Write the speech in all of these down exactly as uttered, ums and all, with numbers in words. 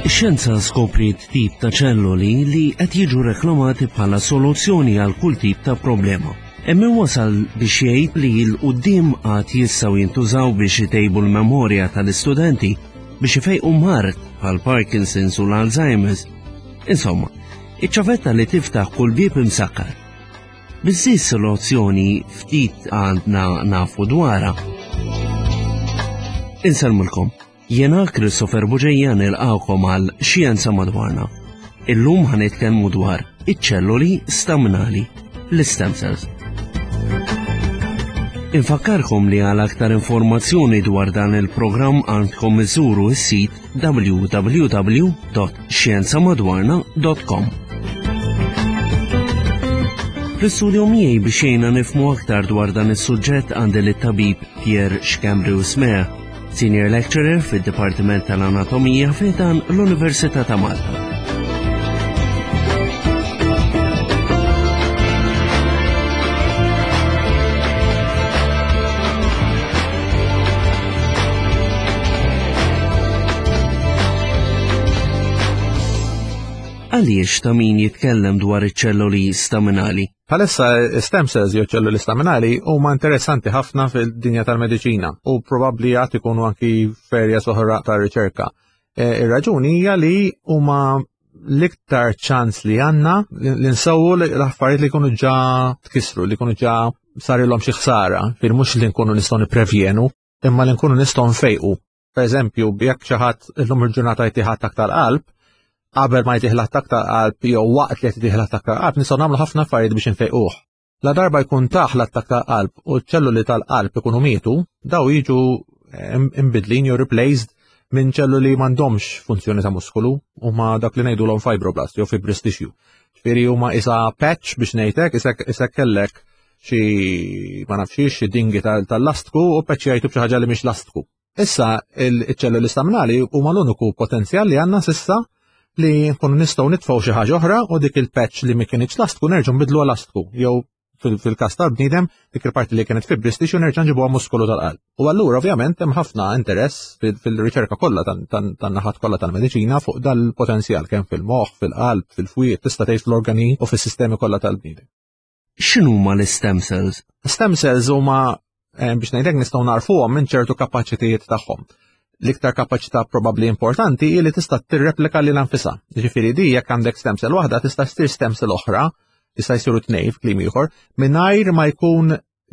Ix-xjenza skopriet tip ta' ċelloli li qed jiġu reklamati bħala soluzzjoni għal kull tip ta' problema. Hemm min wasal biex jgħid li 'l quddiem għad jistgħu jintużaw biex itejbu l-memorja tal-istudenti biex ifejqu mard bħal Parkinson's u l-Alzheimer's. Insomma, iċ-ċavetta li tiftaħ kull bieb imsakkar. Biss soluzzjoni ftit għandna nafu dwarha. Insellmulkom. Jiena Christopher Bugeja nilqagħkom għal Xjenza Madwarna. Illum ħa nitkellmu dwar iċ-ċelloli staminali, l-stem cells. Infakkarkom li għal aktar informazzjoni dwar dan il-programm għandkom iżuru s-sit w w w punt xjenzamadwarna punt com. Fl-istudio miegħi biex jgħinna nifhmu aktar dwar dan is-suġġett għandi lit-tabib Pierre Schembri Husmea, Senior Lecturer fid-Dipartiment tal-Anatomija fi ħdan l-Università ta' Malta. Għaliex ta' min jitkellem dwar iċ-ċelloli staminali? Bħalissa stem cells jew ċelluli staminali huma interessanti ħafna fil-dinja tal-mediċina u probabbli għad ikunu anki f'areas oħra ta' riċerka. E, ir-raġuni hija li huma l-iktar ċans li għandna li nsewwu l-affarijiet li jkunu ġa tkisru, li jkunu ġa sarilhom xi ħsara, fil mhux li nkunu nistgħu nipprevjenu, imma li nkunu nistgħu nfejqu. Per eżempju, jekk xi ħadd illum il-ġurnata jtih attakk tal-qalb, qabel ma jtih l-attakk tal-qalb jew waqt li jtih l-attakk tal-qalb nistgħu nagħmlu ħafna affarijiet biex infejquh. La darba jkun tah l-attakk tal-qalb u ċ-ċelluli tal-qalb ikunu mietu, daw jiġu imbidlin jew replaced minn ċelluli m'għandhomx funzjoni ta' muskolu, huma dak li ngħidulhom fibroblast jew fibrous tissue. Ġifieri huma isa patch biex ngħidlek, isek kellek xi, ma nafx, xi dingi tal-lastku u patch jgħidu b'xi ħaġa li mhix lastku. Issa il-ċelluli staminali huma l-uniku potenzjal li għandna s'issa li nkunu nistgħu nitfgħu xi ħaġa oħra u dik il-patch li ma kienx lastku nerġgħu nbidlu lastku jew fil-każ tal-bniedem dik il-parti li kienet fibrous tissue nerġa' nġibuha muskolu tal-qalb. U allura ovvjament hemm ħafna interess fil-riċerka kollha tan-naħat kollha tal-mediċina fuq dal-potenzjal kemm fil-moħħ, fil-qalb, fil-fwied, tista' tgħid fl-organi u fis-sistemi kollha tal-bniedem. X'inhuma l-stem cells? Stem cells huma eh, biex ngħidlek nistgħu narfuhom minn ċertu kapaċitajiet tagħhom. L-iktar kapaċità probabbli importanti hi li tista' tirreplika lilha nfisha. Ġifieri di jekk għandek stem cell waħda tista' ssir stem cell oħra, jista' jsiru tnejn f'kliem ieħor, mingħajr ma jkun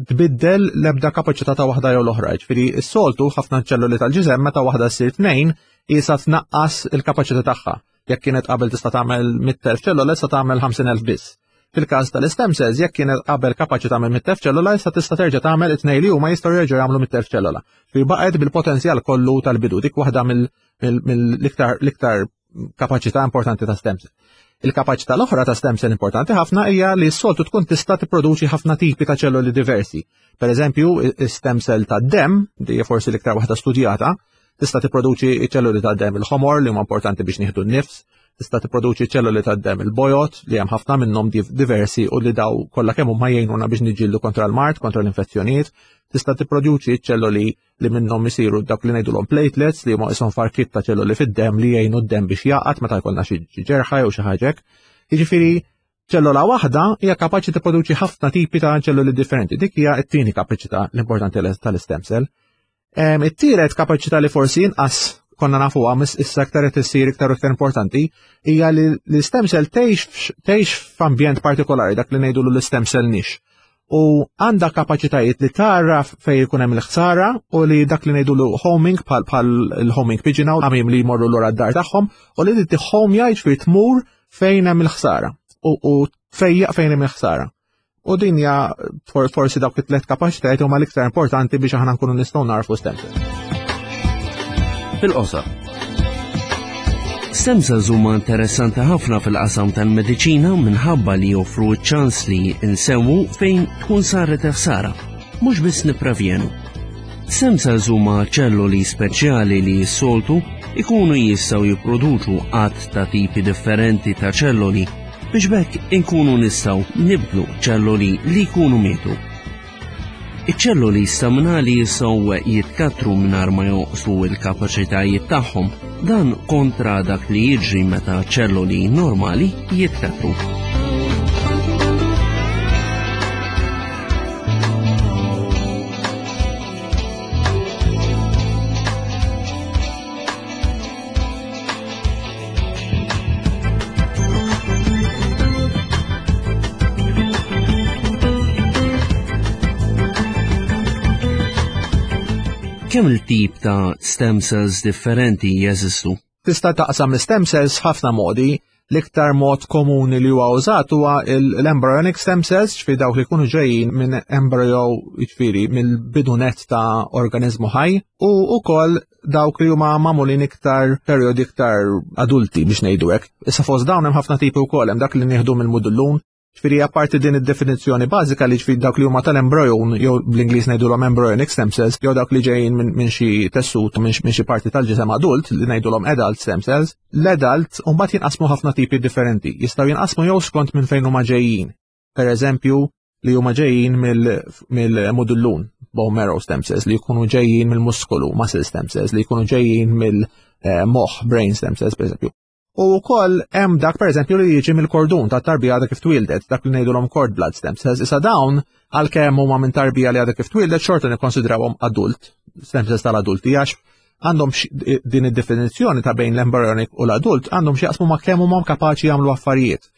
tbiddel l-ebda kapaċità ta' waħda jew l-oħra. Ġifieri s-soltu ħafna ċelluli tal-ġisem meta waħda ssir tnejn jisa tnaqqas il-kapaċità tagħha. Jekk kienet qabel tista' tagħmel mitt elf ċellula, issa tagħmel ħamsin elf biss. Fil-każ tal-stem cells, jekk kienet qabel kapaċi tagħmel mitt elf ċellula, issa tista' terġa' tagħmel it-tnejn li huma jistgħu jerġgħu jagħmlu mitt elf ċellula. Fi baqgħet bil-potenzjal kollu tal-bidu, dik waħda mill-iktar l-iktar kapaċità importanti ta' stem cell. Il-kapaċità l-oħra ta' stem cell importanti ħafna hija li s-soltu tkun tista' tipproduċi ħafna tipi ta' ċelluli diversi. Per eżempju, stem cell ta' dem, di forsi l-iktar waħda studjata, tista' tipproduċi ċelluli ta' dem il-ħomor li huma importanti biex nieħdu n-nifs, tista' tipproduċi ċelluli ta' dem il-bojod li hemm ħafna minnhom diversi u li daw kollha kemm huma jgħinuna biex niġġieldu kontra l-mard, kontra l-infezzjonijiet, tista' tipproduċi ċelluli li minnhom isiru dak li ngħidulhom platelets li huma ishom farkit ta' ċelluli fid-dem li jgħinu d-dem biex jaqgħad meta jkollna xi ġerħa jew xi ħaġa. Jiġifieri ċellola waħda hija kapaċi tipproduċi ħafna tipi ta' ċelluli differenti. Dik hija t-tieni kapaċità l-importanti tal-stem cell. It-tielet kapaċità li forsi inqas konna nafu għamis issa iktar qed issir iktar iktar importanti hija li l-stem cell tgħix f'ambjent partikolari, dak li ngħidu l-stem cell niche. U għandha kapaċitajiet li taraf fejn ikun hemm il-ħsara u li dak li ngħidu homing, bħal il-homing pigeon, għamim li jmorru lura d-dar tagħhom, u li home jgħid tmur fejn hemm il-ħsara u tfejjaq fejn hemm il-ħsara. U din hija forsi dawk it-tliet kapaċitajiet huma l-iktar importanti biex aħna nkunu nistgħu narfu stem cells. Fil-qosor. Stem cells huma interessanti ħafna fil-qasam tal-mediċina minħabba li joffru ċ-ċans li nsewwu fejn tkun saret ħsara, mhux biss nipprevjenu. Stem cells huma ċelluli speċjali li s-soltu ikunu jistgħu jipproduċu għadd ta' tipi differenti ta' ċelloli biex b'hekk inkunu nistgħu nibdlu ċelloli li jkunu mietu. Iċ-ċelloli staminali jistgħu jitkattru mingħajr ma jonqsu l-kapaċitajiet tagħhom. Dan kontra dak li jiġri meta ċelloli normali jitkatru. Kemm il-tip ta' stem cells differenti jeżistu? Tista' taqsam l-stem cells f'ħafna modi. L-iktar mod komuni li huwa użat huwa l-embryonic stem cells, ġifieri dawk li jkunu ġejjin minn embryo, ġifieri mill-bidu net ta' organizmu ħaj, u wkoll dawk li huma magħmulin iktar perjodi iktar adulti biex ngħidu hekk. Issa fost dawn hemm ħafna tipi wkoll, hemm dak li nieħdu mill-mudullun. Ġifieri apparti din id-definizzjoni bażika li ġifieri dawk li huma tal-embryon jew bl-Ingliż ngħidulhom embryonic stem cells, jew dawk li ġejjin minn min xi tessut minn xi parti tal-ġisem adult li ngħidulhom adult stem cells, l-adult mbagħad jinqasmu ħafna tipi differenti. Jistgħu jinqasmu jew skont minn fejn huma ġejjin. Per eżempju, li huma ġejjin mill-mudullun, bone marrow stem cells, li jkunu ġejjin mill-muskolu, muscle stem cells, li jkunu ġejjin mill-moħħ, brain stem cells, per eżempju. U wkoll hemm dak pereżempju li jiġi mill-kordun ta' tarbija għadha kif twildet, dak li ngħidulhom cord blood stem cells. Issa dawn għalkemm huma minn tarbija li għadha kif twildet xorta nikkonsidrawhom adult, stem cells tal-adulti, għax għandhom din id-definizzjoni ta' bejn l-embryonic u l-adult għandhom x'jaqsmu ma' kemm huma kapaċi jagħmlu affarijiet.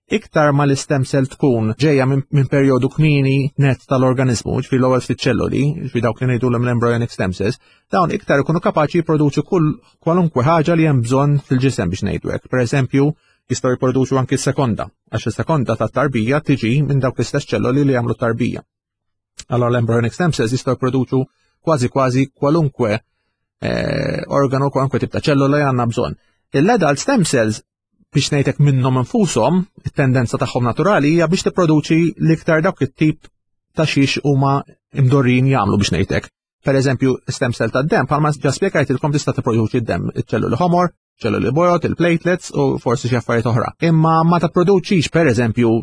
Iktar ma l-istem cell tkun ġejja minn min perjodu kmieni net tal-organizmu, ġifieri l-ewwel ftit ċelloli, ġifieri dawk li ngħidulhom l-embryonic stem cells, dawn iktar ikunu kapaċi jipproduċu kull kwalunkwe ħaġa li hemm bżonn fil-ġisem biex ngħidu hekk. Pereżempju, jistgħu jipproduċu anki s-sekonda, għax is-sekonda tat-tarbija tiġi minn dawk l-istess ċelloli li jagħmlu tarbija. Allora l-embryonic stem cells jistgħu jipproduċu kważi kważi kwalunkwe eh, organu, kwalunkwe tip ta' ċellola li għandna bżonn. L-adult stem cells biex ngħidlek minnhom infushom, it-tendenza tagħhom naturali hija biex tipproduċi l-iktar dawk it-tip ta' xiex huma imdorrin jagħmlu biex ngħidlek. Per eżempju, stem cell tad-dem, bħalma ġa spjegajtilkom tista' tipproduċi d-dem, iċ-ċelluli ħomor, ċelluli bojod, il-platelets u forsi xi affarijiet oħra. Imma ma tipproduċix per eżempju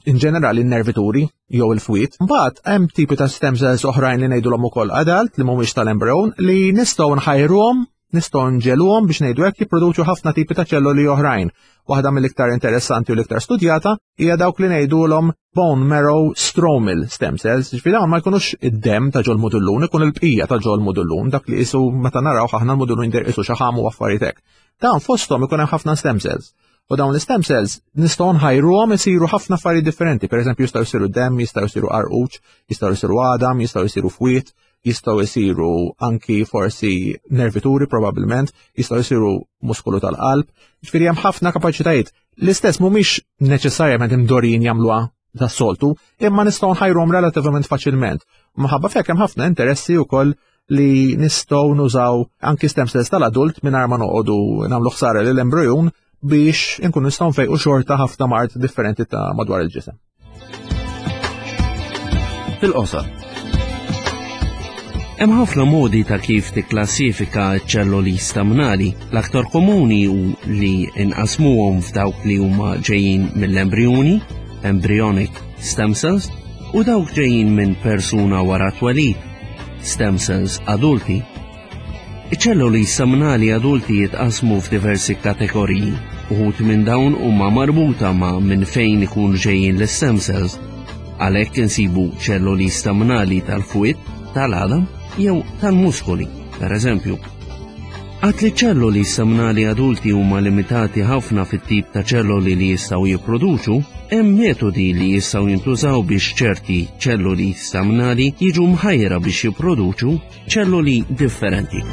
in ġenerali n-nervituri jew il-fwied. Mbagħad hemm tipi ta' stem cells oħrajn li ngħidulhom ukoll adult li mhumiex tal-embryon li nistgħu nħajruhom, nistgħu nġegħluhom biex ngħidu hekk jipproduċu ħafna tipi ta' ċelluli oħrajn. Waħda mill-iktar interessanti u l-iktar studjata hija dawk li ngħidulhom bone marrow stromal stem cells. Ġifieri dawn ma jkunux id-dem ta' ġol mudullun, ikun il-bqija ta' ġol mudullun, dak li qisu meta naraw aħna l-mudullun jidher qisu xaħam u affarijiet hekk. Dawn fosthom ikun hemm ħafna stem cells. U dawn l-stem cells nistgħu nħajruhom isiru ħafna affarijiet differenti. Per eżempju, jistgħu jsiru dem, jistgħu jsiru qarquċ, jistgħu jsiru għadam, jistgħu jsiru fwied, jistgħu jsiru anki forsi nervituri probabbilment, jistgħu jsiru muskolu tal-qalb. Ġifieri hemm ħafna kapaċitajiet. L-istess mhumiex neċessarjament imdorrin jagħmluha tas-soltu, imma nistgħu nħajruhom relattivament faċilment. Minħabba f'hekk hemm ħafna interessi wkoll li nistgħu nużaw anki stem cells tal-adult mingħajr ma noqogħdu nagħmlu ħsara lill-embryon biex inkunu nistgħu nfejqu xorta ħafna mard differenti ta' madwar il-ġisem. Fil-qosor. Hemm ħafna modi ta' kif tikklassifika ċ-ċelloli staminali. L-aktar komuni hu li inqasmuhom f'dawk li huma ġejjin mill-embrjoni, embryonic stem cells, u dawk ġejjin minn persuna wara twelid, stem cells adulti. Iċ-ċelloli staminali adulti jitqasmu f'diversi kategoriji. Uħud minn dawn huma marbuta ma' minn fejn ikun ġejjin l-stem cells. Għalhekk insibu ċelloli staminali tal-fwied, tal-għadam jew tal-muskoli, per eżempju. Għad li ċelloli staminali adulti huma limitati ħafna fit-tip ta' ċelloli li jistgħu jipproduċu, hemm metodi li jistgħu jintużaw biex ċerti ċelloli staminali jiġu mħajra biex jipproduċu ċelloli differenti.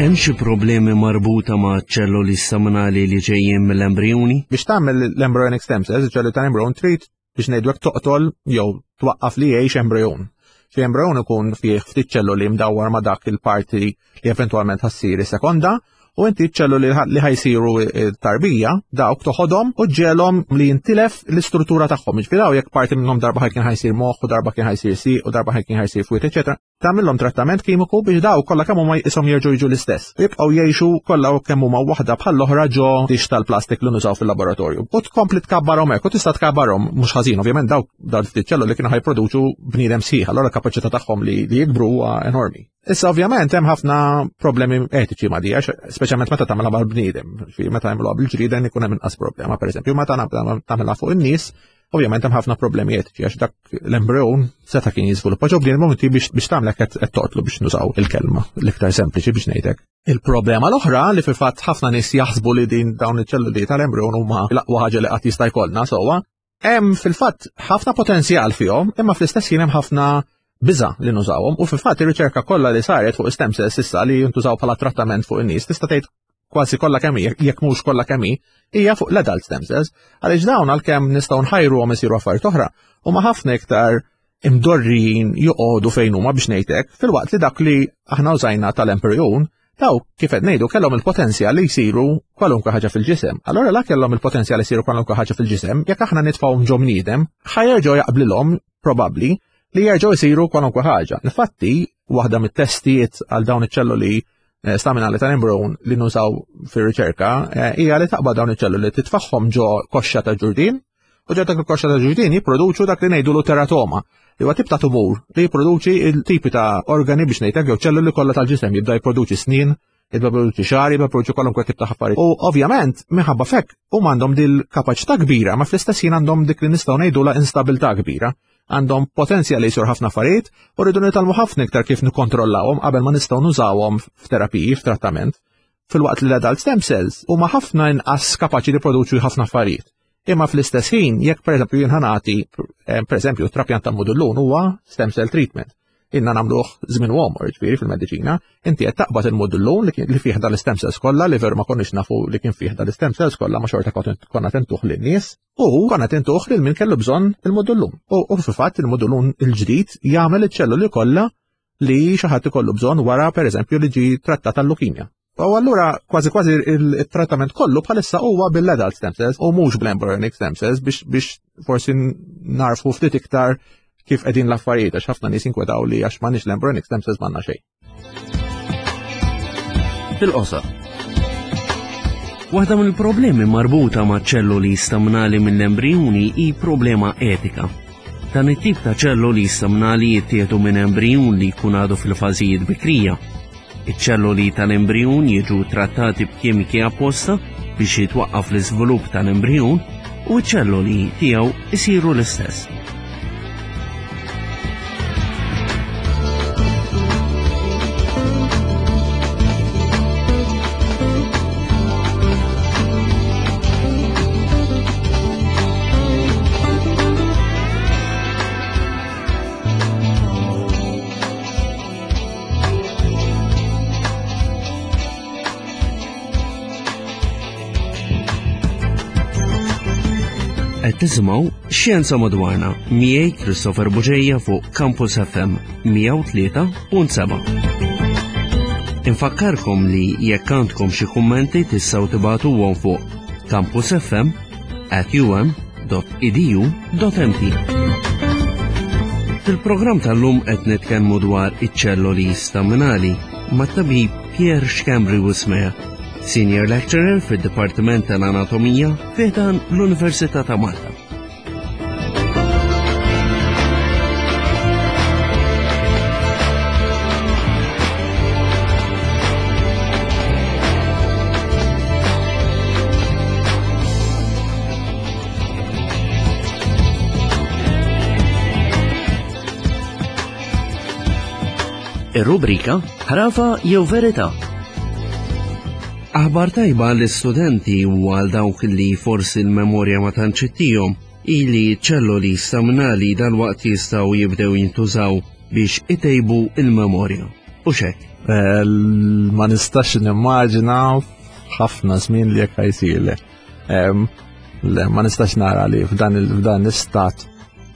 Hemm xi problemi marbuta ma' ċelloli staminali li ġejjin mill-embrjoni? Biex tagħmel l-embryonic stem cells, iċ-ċelloli tal-embryon trid biex ngħidu hekk toqtol jew twaqqaf li jgħix embryon. Xi embryon ikun fih ftit ċelloli mdawwar ma' dak il-parti li eventwalment ħassir sekonda, U inti ċ-ċelluli li ħajsiru tarbija, dawk toħodhom u ġelhom li jintilef l-istruttura tagħhom. Jiġifieri daw jekk parti minnhom darba kien ħajsir moħħ u darba kien ħajsir sieq u darba kien ħajsir fwiet, eċetera. Tagħmilhom trattament kimiku biex daw kollha kemm huma jisom jerġgħu jiġu l-istess. Jibqgħu jgħixu kollha kemm huma waħda bħall-oħra ġo dix tal-plastik li nużaw fil-laboratorju. U tkompli tkabbarhom hekk u tista' tkabbarhom mhux ħażin, ovvjament dawk dal ftit ċelluli kienu ħajproduċu bniedem sħiħ, allura l-kapaċità tagħhom li jikbru huwa enormi. Issa ovvjament hemm ħafna problemi etiċi ma' di, għax speċjalment meta tagħmilha mal-bniedem, meta jagħmluha bil-ġrieden ikun hemm inqas problema, pereżempju, meta tagħmilha fuq in-nies, ovvjament hemm ħafna problemi etiċi għax dak l-embryon seta' kien jiżviluppa ġo bniedem inti biex biex tagħmlek qed toqtlu biex nużaw il-kelma l-iktar sempliċi biex ngħidlek. Il-problema l-oħra li fil-fatt ħafna nies jaħsbu li din dawn iċ-ċelluli tal-embryon huma l-aqwa ħaġa li qatt jista' jkollna sewwa, hemm fil-fatt ħafna potenzjal fihom, imma fl-istess ħin hemm ħafna biża' li nużawhom u fil-fatt ir-riċerka kollha li saret fuq stem cells issa li jintużaw bħala trattament fuq in-nies tista' tgħid kważi kollha kemm hi, jekk mhux kollha kemm hi, hija fuq l-adult stem cells, għaliex dawn għalkemm nistgħu nħajruhom isiru affarijiet oħra, huma ħafna iktar imdorrijin joqogħdu fejn huma biex ngħidlek, filwaqt li dak li aħna użajna tal-embryon, daw kif qed ngħidu kellhom il-potenzjal li jsiru kwalunkwe ħaġa fil-ġisem. Allura la kellhom il-potenzjal li jsiru kwalunkwe ħaġa fil-ġisem, jekk aħna nitfgħuhom ġo bniedem, ħajerġgħu jaqblilhom probabbli li jerġgħu jsiru kwalunkwe ħaġa. Infatti, waħda mit-testijiet għal dawn iċ-ċelluli staminali tal-embryon li nużaw fir-riċerka hija li taqbad dawn iċ-ċelluli titfaħħom ġo koxxa ta' ġurdien u ġo dak il-koxxa ta' ġurdien jipproduċu dak li ngħidulu teratoma, li huwa tip ta' tumur li jipproduċi il-tipi ta' organi biex ngħidlek jew ċelluli kollha tal-ġisem, jibda jipproduċi snien, jibda jipproduċi xagħar, jibda jipproduċi kwalunkwe tip ta' affarijiet. U ovvjament minħabba fekk huma għandhom dil-kapaċità kbira, ma fl-istess ħin għandhom dik li nistgħu ngħidulha instabilità kbira. Għandhom potenzjal li jsir ħafna affarijiet u rridu nitgħallmu ħafna iktar kif nikkontrollawhom qabel ma nistgħu nużawhom f'terapiji, f'trattament. Filwaqt li l-adult stem cells huma ħafna inqas kapaċi li jipproduċu ħafna affarijiet. Imma fl-istess ħin, jekk pereżempju jien ħanati, pereżempju trapjant ta' mudullun huwa stem cell treatment. Inna nagħmluh żmien u għomor, ġifieri fil-mediċina, inti qed taqbad il-mudullun li fih dal-stem cells kollha li veru ma konniex nafu li kien fih dal-stem cells kollha ma xorta konna tentuh lin-nies u konna tentuh lil min kellu bżonn il-mudullun. U fil-fatt il-mudullun il-ġdid jagħmel iċ-ċelluli kollha li xi ħadd ikollu bżonn wara pereżempju li ġie trattat tal-lukimja. U allura kważi kważi il-trattament kollu bħalissa huwa bil-adult stem cells u mhux bl-embryonic stem cells biex biex forsi narfu ftit iktar kif qegħdin l-affarijiet, għax ħafna nies inkwetaw li għax m'għandniex l-embryonic stem cells m'għandna xejn. Fil-qosor. Waħda mill-problemi marbuta ma' ċelluli staminali mill-embrijuni hi problema etika. Dan it-tip ta' ċelluli staminali jittieħdu minn embrijun li jkun għadu fil-fażijiet bikrija. Iċ-ċelluli tal-embrijun jiġu trattati b'kimiki apposta biex jitwaqqaf l-iżvilupp tal-embrijun u ċ-ċelluli tiegħu isiru l-istess. Tisimgħu Xjenza Madwarna miegħi Christopher Bugeja fuq Campus F M mija u tlieta punt seba'. Infakkarkom li jekk għandkom xi kummenti tistgħu tibagħtuhom fuq campus f m at u m dot e d u dot m t. Fil-programm tal-lum qed nitkellmu dwar iċ-ċelloli staminali mat-tabib Pierre Schembri Wismea, Senior Lecturer fid-Dipartiment tal-Anatomija fi ħdan l-Università ta' Malta. Ir-rubrika Ħrafa jew Verità. Aħbar tajba l-istudenti u għal dawk li forsi l-memorja ma tantx ittihom ili ċelloli staminali dal-waqt jistgħu jibdew jintużaw biex itejbu il-memorja. U xek? Ma nistax nimmaġina ħafna żmien li jekk ħajsirle. Le, ma nistax nara li f'dan l-istat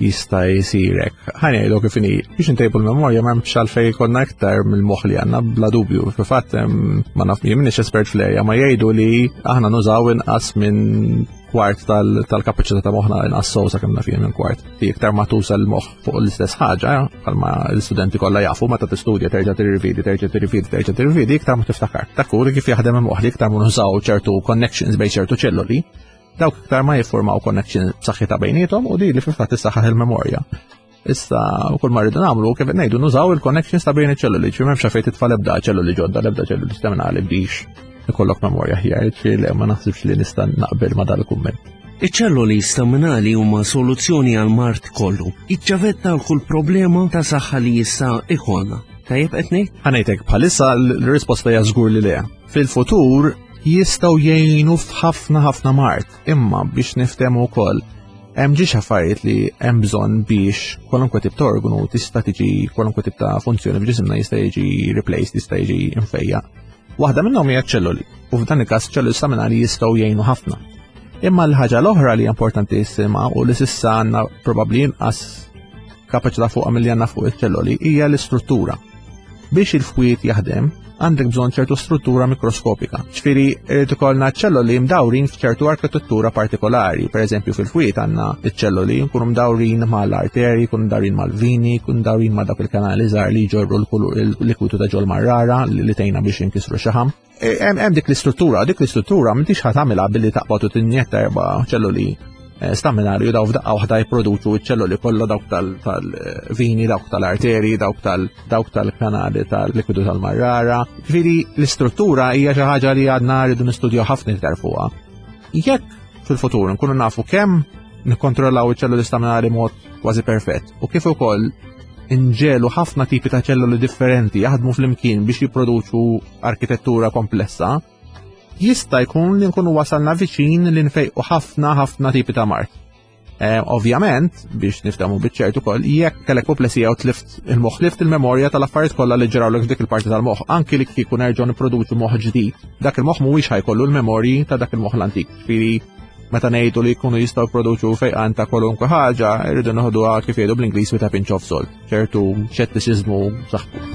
jista' jsirek. Ħa ngħidu kif inhi, biex intejbu l-memorja m'hemmx għalfejn jkollna iktar mill-moħħ li għandna bla dubju. Fil-fatt ma naf jien m'iniex espert fl-erja, ma jgħidu li aħna nużaw inqas minn kwart tal-kapaċità ta' moħħna, inqas sew sakemm naf jien minn kwart. Fi iktar ma tuża l-moħħ fuq l-istess ħaġa, bħalma l-istudenti kollha jafu, meta tistudja terġa' tirrividi, terġa' tirrividi, terġa' tirrividi, iktar ma tiftakar. Dak hu kif jaħdem il-moħħ, li iktar ma nużaw ċertu connections bejn ċertu ċelluli, dawk iktar ma jiffurmaw connection b'saħħitha bejniethom u di li fil-fatt issaħħaħ il-memorja. Issa, kull ma rridu nagħmlu, kif qed ngħidu, nużaw il-connections ta' bejn iċ-ċelluli, ġifieri m'hemmx fejn titfa' l-ebda ċelluli ġodda, l-ebda ċelluli staminali biex ikollok memorja aħjar, ġifieri le, ma naħsibx li nista' naqbel ma' dal-kumment. Iċ-ċelluli staminali huma soluzzjoni għal mard kollu. Iċ-ċavetta għal kull problema ta' saħħa li jista' ikollna. Tajjeb qed ngħid? Ħa ngħidlek, bħalissa l-risposta hija żgur li le. Fil-futur jistgħu jgħinu f'ħafna ħafna mard, imma biex niftehmu wkoll hemm ġiex affarijiet li hemm bżonn biex kwalunkwe tip ta' organu tista' tiġi, kwalunkwe tip ta' funzjoni f'ġisimna jista' jiġi replaced, jista' jiġi imfejja. Waħda minnhom hija ċelluli, u f'dan il-każ ċelluli staminali jistgħu jgħinu ħafna. Imma l-ħaġa l-oħra li importanti jisima u li s'issa għandna probabbli inqas kapaċità fuqha milli għandna fuq iċ-ċelluli hija l-istruttura. Biex il-fwied jaħdem, għandek bżonn ċertu struttura mikroskopika. Ġifieri irid ikollna ċelluli mdawrin f'ċertu arkitettura partikolari. Per eżempju fil-fwied għandna iċ-ċelluli nkunu mdawrin mal-arteri, nkunu mdawrin mal-vini, nkunu mdawrin ma' dawk il-kanali żgħar li jġorru l-likwidu ta' ġol marrara li tgħinna biex inkisru xaħam. E, hemm dik l-istruttura, dik l-istruttura m'intix ħa tagħmilha billi taqbad u tinjetta erba' ċelluli staminali u daw f'daqqa waħda jipproduċu ċ-ċelluli kollha, dawk tal-vini, dawk tal-arteri, dawk dawk tal-kanali tal-likwidu tal-marrara. Ġifieri l-istruttura hija xi ħaġa li għadna rridu nistudjaw ħafna iktar fuqha. Jekk fil-futur nkunu nafu kemm nikkontrollaw iċ-ċelluli staminali mod kważi perfett u kif ukoll inġelu ħafna tipi ta' ċelluli differenti jaħdmu flimkien biex jipproduċu arkitettura komplessa, jista' jkun li nkunu wasalna viċin li nfejqu ħafna ħafna tipi ta' mard. Eh, ovvjament, biex niftehmu biċ-ċert ukoll, jekk kellek apoplesija u tlift il-moħħ, tlift il-memorja tal-affarijiet kollha li ġrawlek f'dik il-parti tal-moħħ, anki li kieku nerġgħu nipproduċu moħħ ġdid, dak il-moħħ mhuwiex ħa jkollu l-memorji ta' dak il-moħħ l-antik. Ġifieri meta ngħidu li jkunu jistgħu jipproduċu fejqan ta' kwalunkwe ħaġa, irridu noħduha kif jgħidu bl-Ingliż with a pinch of salt, ċertu xettiċiżmu saħħu.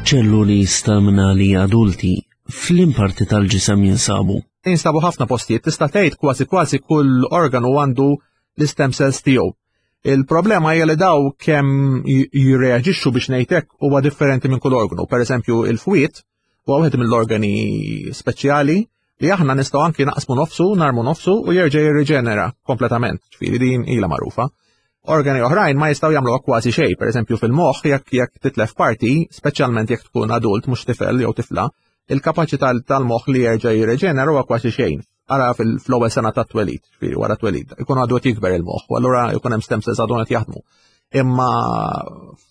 Ċelluli staminali adulti f'liem parti tal-ġisem jinsabu? Jinsabu ħafna postijiet, tista' tgħid kważi kważi kull organu għandu l-stem cells tiegħu. Il-problema hija li daw kemm jirreaġixxu biex ngħidlek huwa differenti minn kull organu. Per eżempju, il-fwied huwa wieħed mill-organi speċjali li aħna nistgħu anki naqsmu nofsu, narmu nofsu u jerġa' jirriġenera kompletament. Ġifieri din ilha magħrufa. Organi oħrajn ma jistgħu jagħmlu kważi xejn, per eżempju fil-moħħ jekk jekk titlef parti, speċjalment jekk tkun adult mhux tifel jew tifla, il-kapaċità tal-moħħ li jerġa' jirreġenera huwa kważi xejn. Ara fl-ewwel sena tat-twelid, ġifieri wara twelid, ikun għadu qed jikber il-moħħ, u allura jkun hemm stem cells għadhom qed jaħdmu. Imma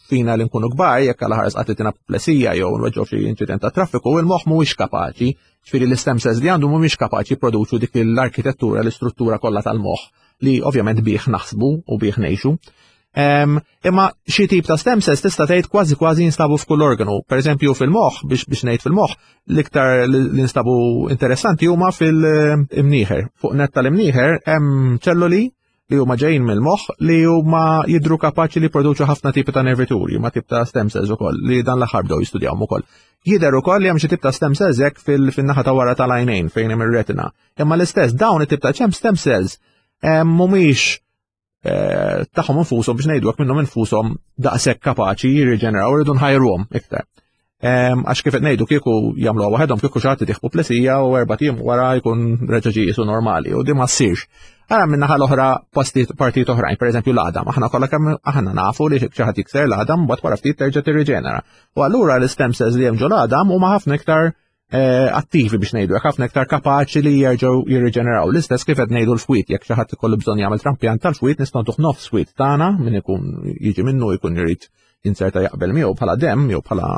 fina li nkunu kbar, jekk għal ħares qatt apoplesija jew nweġġgħu xi inċident ta' traffiku, il-moħħ mhuwiex kapaċi, ġifieri l-istem cells li għandu mhumiex kapaċi jipproduċu dik l-arkitettura, l-istruttura kollha tal-moħħ li ovvjament bih naħsbu u bih ngħixu. Imma xi tip ta' stem cells tista' tgħid kważi kważi jinstabu f'kull organu. Per eżempju fil-moħħ, biex biex ngħid fil-moħħ, l-iktar li nstabu interessanti huma fil-imnieħer. Fuq nett tal-imnieħer hemm ċelluli li huma ġejjin mill-moħħ li huma jidru kapaċi li jproduċu ħafna tipi ta' nervituri, ma tip ta' stem cells ukoll li dan l-aħħar bdew jistudjawhom ukoll. Jidher ukoll li hemm xi tip ta' stem cells hekk fil-naħa ta' wara tal-għajnejn fejn hemm ir-retina. Imma l-istess dawn it-tip ta' ċem stem cells mhumiex tagħhom infushom biex ngħidu hekk minnhom infushom daqshekk kapaċi jirriġeneraw, irridu nħajruhom iktar. Għax kif qed ngħidu kieku jagħmluha waħedhom, kieku xi ħadd itih apoplesija u erba' ijiem wara jkun reġa' ġie qisu normali u di ma ssirx. Ara minn naħa l-oħra partijiet oħrajn, pereżempju l-għadam, aħna kollha kemm aħna nafu li xi ħadd jikser l-għadam mbagħad wara ftit terġa' tirriġenera. U allura l-stem cells li hemm ġol għadam huma ħafna iktar attivi biex ngħidu, ħafna iktar kapaċi li jerġgħu jirriġeneraw. L-istess kif qed ngħidu l-fwied, jekk xi ħadd ikollu bżonn jagħmel trampjant tal-fwied, nistgħu ntuh nofs fwied tagħna min ikun jiġi minnu jkun irid inserta jaqbel miegħu bħala demm jew bħala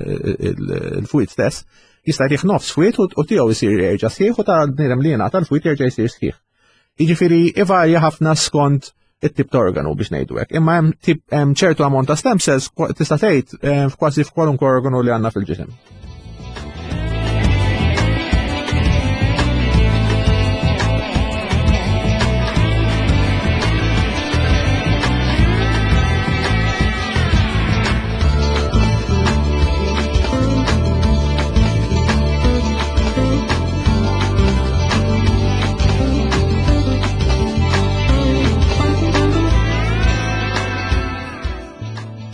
eh, il-fwied stess, jista' jtih nofs fwied u tiegħu jsir jerġa' sħiħ u ta' bniedem li jingħata l-fwied jerġa' jsir sħiħ. Jiġifieri ivarja ħafna skont it-tip ta' organu biex ngħidu hekk. Imma hemm tip hemm ċertu ammont ta' stem cells tista' tgħid eh, kważi f'kwalunkwe organu li għandna fil-ġisem.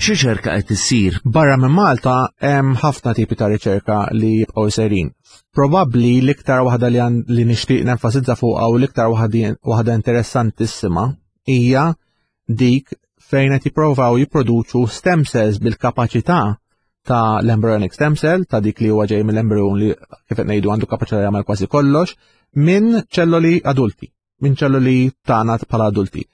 X'riċerka qed issir? Barra minn Malta hemm ħafna tipi ta' riċerka li jibqgħu serin. Probabbli l-iktar waħda li, li nixtieq nenfasizza fuqha u l-iktar waħda interessantissima hija dik fejn qed jippruvaw jipproduċu stem cells bil-kapaċità ta' l-embryonic stem cell, ta' dik li huwa ġej mill-embryon li kif qed ngħidu għandu kapaċità jagħmel kważi kollox, minn ċelloli adulti, minn ċelloli tagħna bħala adulti.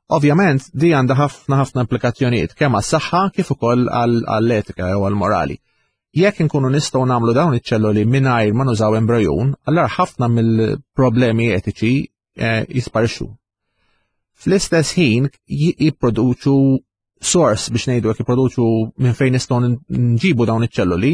Ovvjament, di għandha ħafna ħafna implikazzjonijiet kemm għas-saħħa kif ukoll għall-etika jew għall-morali. Jekk inkunu nistgħu nagħmlu dawn iċ-ċelloli mingħajr ma nużaw embryon, allura ħafna mill-problemi etiċi eh, jisparixxu. Fl-istess ħin jipproduċu source biex ngħidu jekk jipproduċu minn fejn nistgħu nġibu dawn iċ-ċelloli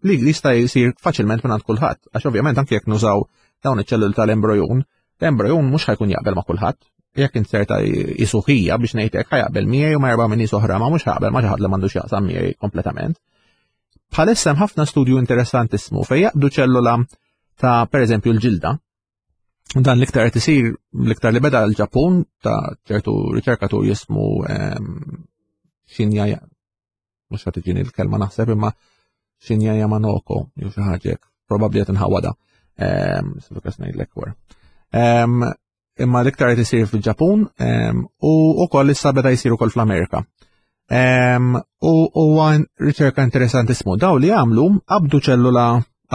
li jista' jsir faċilment minn għand kulħadd, għax ovvjament anke jekk nużaw dawn iċ-ċelloli tal-embryon, l-embryon mhux ħajkun jaqbel ma' kulħadd. Jekk inserta jisuħija biex ngħidlek ħajaqbel miegħi u ma erba' minn nies oħra ma mhux ħaqbel ma xi ħadd li m'għandux jaqsam miegħi kompletament. Bħalissa hemm ħafna studju interessantissmu fejn jaqbdu ċellula ta' pereżempju l-ġilda. Dan l-iktar qed isir l-iktar li beda l-Ġappun ta' ċertu riċerkatur jismu ehm, Shinya, mhux qed tiġini l-kelma naħseb imma Shinya Yamanoko jew xi ħaġa hekk, probabbli qed inħawwadha. Ehm, ngħidlek wara. Ehm, imma l-iktar qed isir fil-Ġapun u wkoll issa beda jsir ukoll fl-Amerika. U huwa riċerka interessantissimu. Daw li għamlu qabdu ċellula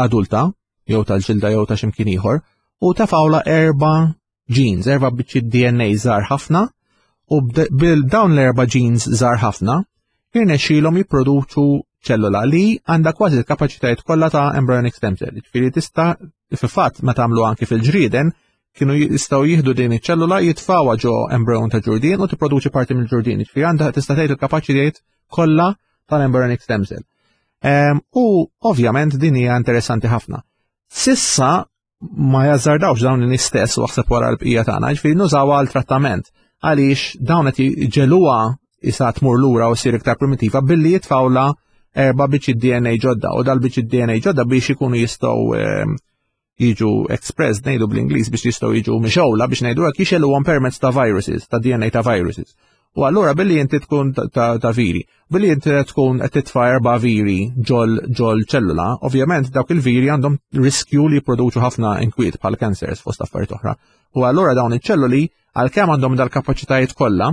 adulta jew tal-ġilda jew ta' x'imkien ieħor u tefawla erba' genes, erba' biċċiet D N A żgħar ħafna u bil dawn l-erba' genes żgħar ħafna jirnexxielhom jipproduċu ċellula li għandha kważi l-kapaċitajiet kollha ta' embryonic stem cell. Ġifieri tista' fil-fatt meta għamlu anki fil-ġrieden kienu jistgħu jieħdu din iċ-ċellula jitfawha ġo embryon ta' ġurdien u tipproduċi parti mill-ġurdien. Ġifieri għandha tista' tgħid il-kapaċitajiet kollha tal-embryonic stem cell. Ehm, u ovvjament din hija interessanti ħafna. Sissa ma jazzardawx dawn in-nies stess u aħseb wara l-bqija tagħna, ġifieri nużawha għal trattament għaliex dawn qed jġeluha isa tmur lura u ssir iktar primitiva billi jitfawla erba' biċċi D N A ġodda u dal-biċċi D N A ġodda biex ikunu jistgħu, ehm, jiġu expressed, ngħidu bl-Ingliż, biex jistgħu jiġu mixgħula biex ngħidu hekk jixeluhom permezz ta' viruses, ta' D N A ta' viruses. U allura billi inti tkun ta', ta, ta' viri, billi inti tkun qed titfa' erba' viri ġol, ġol ċellula, ovvjament dawk il-viri għandhom riskju li jipproduċu ħafna inkwiet bħal cancers fost affarijiet oħra. U allura dawn iċ-ċelluli għalkemm għandhom dal-kapaċitajiet kollha,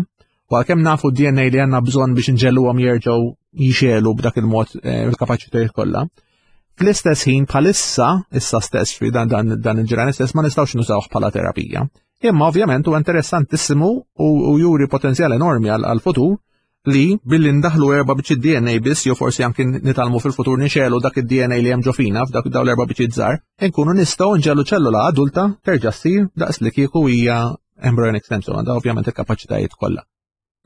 u għalkemm nafu D N A li għandna bżonn biex nġelluhom jerġgħu jixelu b'dak il-mod, eh, il-kapaċitajiet kollha. Fl-istess ħin bħalissa, issa stess fi dan, dan, dan il-ġirani stess ma nistgħux nużawh bħala terapija. Imma ovvjament huwa interessantissimu u, u juri potenzjal enormi għal, għal-futur li billi ndaħlu erba' biċċiet D N A biss, jew forsi anki nitalmu fil-futur nixelu dak id-D N A li hemm ġo fina f'dak dawn l-erba' biċċiet żgħar, inkunu nistgħu nġellu ċellula adulta terġa' ssir daqs li kieku hija embryonic stem cell, għandha ovvjament il-kapaċitajiet kollha.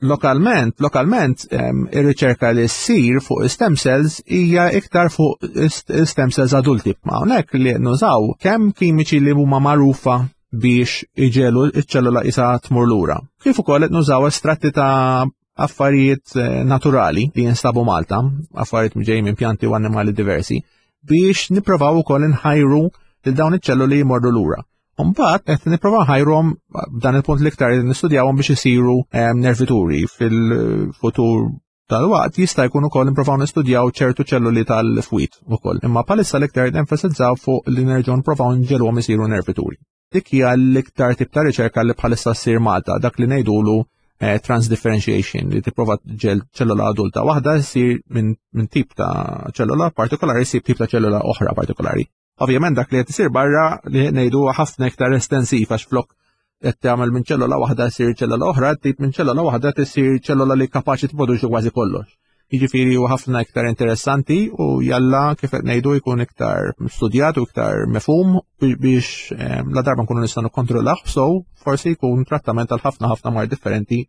Lokalment, lokalment, em, ir-riċerka li ssir fuq stem cells hija iktar fuq stem cells adulti. Ma hawnhekk li nużaw kemm kimiċi li huma magħrufa biex iġelu ċ-ċellula isa tmur lura. Kif ukoll qed nużaw estratti ta' affarijiet, eh, naturali li jinstabu Malta, affarijiet ġejjin minn pjanti u annimali diversi, biex nipprovaw ukoll inħajru lil dawn iċ-ċelluli jmorru lura. Mbagħad qed nipprovaw nħajruhom b'dan il-punt l-iktar nistudjawhom biex isiru, ehm, nervituri fil-futur tal-waqt jista' jkun ukoll nipprovaw nistudjaw ċertu ċelluli tal-fwied ukoll. Imma bħalissa l-iktar nenfasizzaw fuq li nerġgħu nipprovaw nġelhom isiru nervituri. Dik hija l-iktar tip ta' riċerka li bħalissa ssir Malta, dak li ngħidulu, eh, transdifferentiation, li tipprova ġel ċellula adulta waħda ssir minn, minn tip ta' ċellula partikolari ssir tip ta' ċellula oħra partikolari. Ovvjament dak li qed isir barra li ngħidu ħafna iktar estensiv għax flok qed tagħmel minn ċellula waħda ssir ċellula oħra, tip minn ċellula waħda tisir ċellula li kapaċi tipproduċi kważi kollox. Jiġifieri huwa ħafna iktar interessanti u jalla kif qed ngħidu jkun iktar studjat u iktar mifhum biex la darba nkunu nistgħu nikkontrollawh, so forsi jkun trattament għal ħafna ħafna mard differenti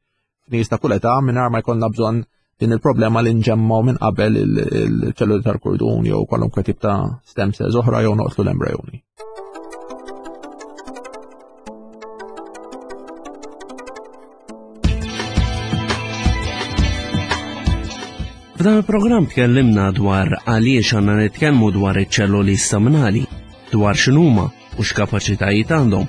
f'nies ta' kull età mingħajr ma jkollna bżonn din il-problema li nġemmaw minn qabel il-ċelluli tal-kordun jew kwalunkwe tip ta' stem cells oħra jew noqtlu l-embrjoni. F'dan il-programm tkellimna dwar għaliex għandna nitkellmu dwar iċ-ċelluli staminali, dwar x'inhuma u x'kapaċitajiet għandhom,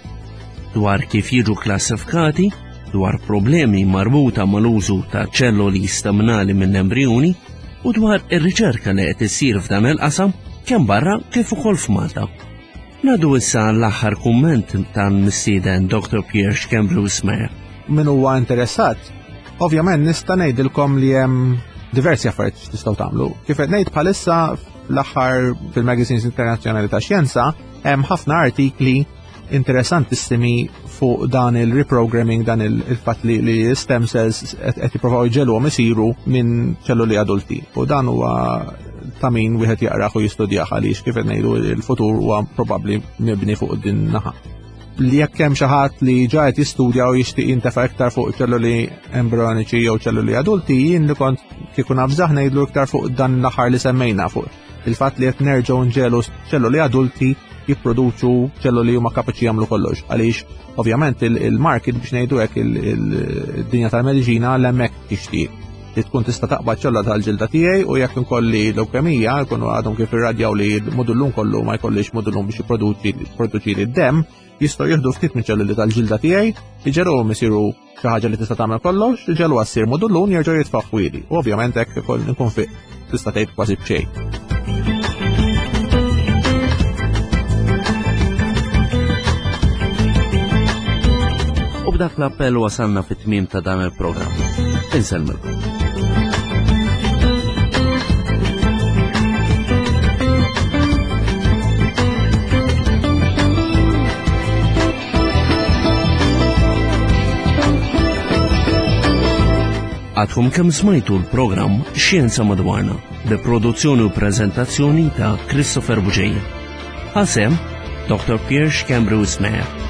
dwar kif jiġu klassifikati, dwar problemi marbuta mal-użu ta' ċelluli staminali minn embrjoni u dwar ir-riċerka li qed issir f'dan il-qasam kemm barra kif ukoll f'Malta. Nadu issa l-aħħar kumment tal-mistieden Doctor Pierre Schembri Wismayer. Min huwa interessat, ovvjament nista' ngħidilkom li hemm diversi affarijiet x'tistgħu tagħmlu. Kif qed ngħid bħalissa fl-aħħar fil-magazines internazzjonali ta' xjenza hemm ħafna artikli interessantissimi fuq dan il-reprogramming, dan il-fatt li, li stem cells qed jippruvaw jġegħluhom isiru minn ċelluli adulti. U dan huwa ta' min wieħed jaqrah u jistudjah għaliex kif qed ngħidu il-futur huwa probabbli mibni fuq din naħa. Li jekk hemm xi ħadd li ġa qed jistudja u jixtieq jintefa' iktar fuq ċelluli embrioniċi jew ċelluli adulti, jien li kont kieku nafżaħ ngħidlu iktar fuq dan l-aħħar li semmejna, fuq il-fatt li qed nerġgħu nġelu ċelluli adulti jipproduċu ċelluli huma kapaċi jagħmlu kollox. Għaliex ovvjament il-market biex ngħidu hekk il-dinja tal-mediċina l-hemmhekk tixtieq li tkun tista' taqbad ċellula tal-ġilda tiegħi u jekk inkolli leukemija jkunu għadhom kif irradjaw li l-modullun kollu ma jkollix modullun biex jipproduċi li d-demm, jistgħu jieħdu ftit minn ċelluli tal-ġilda tiegħi, iġeruhom isiru xi ħaġa li tista' tagħmel kollox, iġelu għassir modullun jerġgħu jitfgħu ħwieli. U ovvjament hekk ikoll nkun fiq tista' tgħid kważi b'xejn. U b'dak l-appell wasalna fit-tmiem ta' dan il-programm. Insellmilkom. Għadkom kemm smajtu l-programm Xjenza Madwarna bi produzzjoni u prezentazzjoni ta' Christopher Bugeja. Ħasem Doctor Pierre Schembri Wismayer.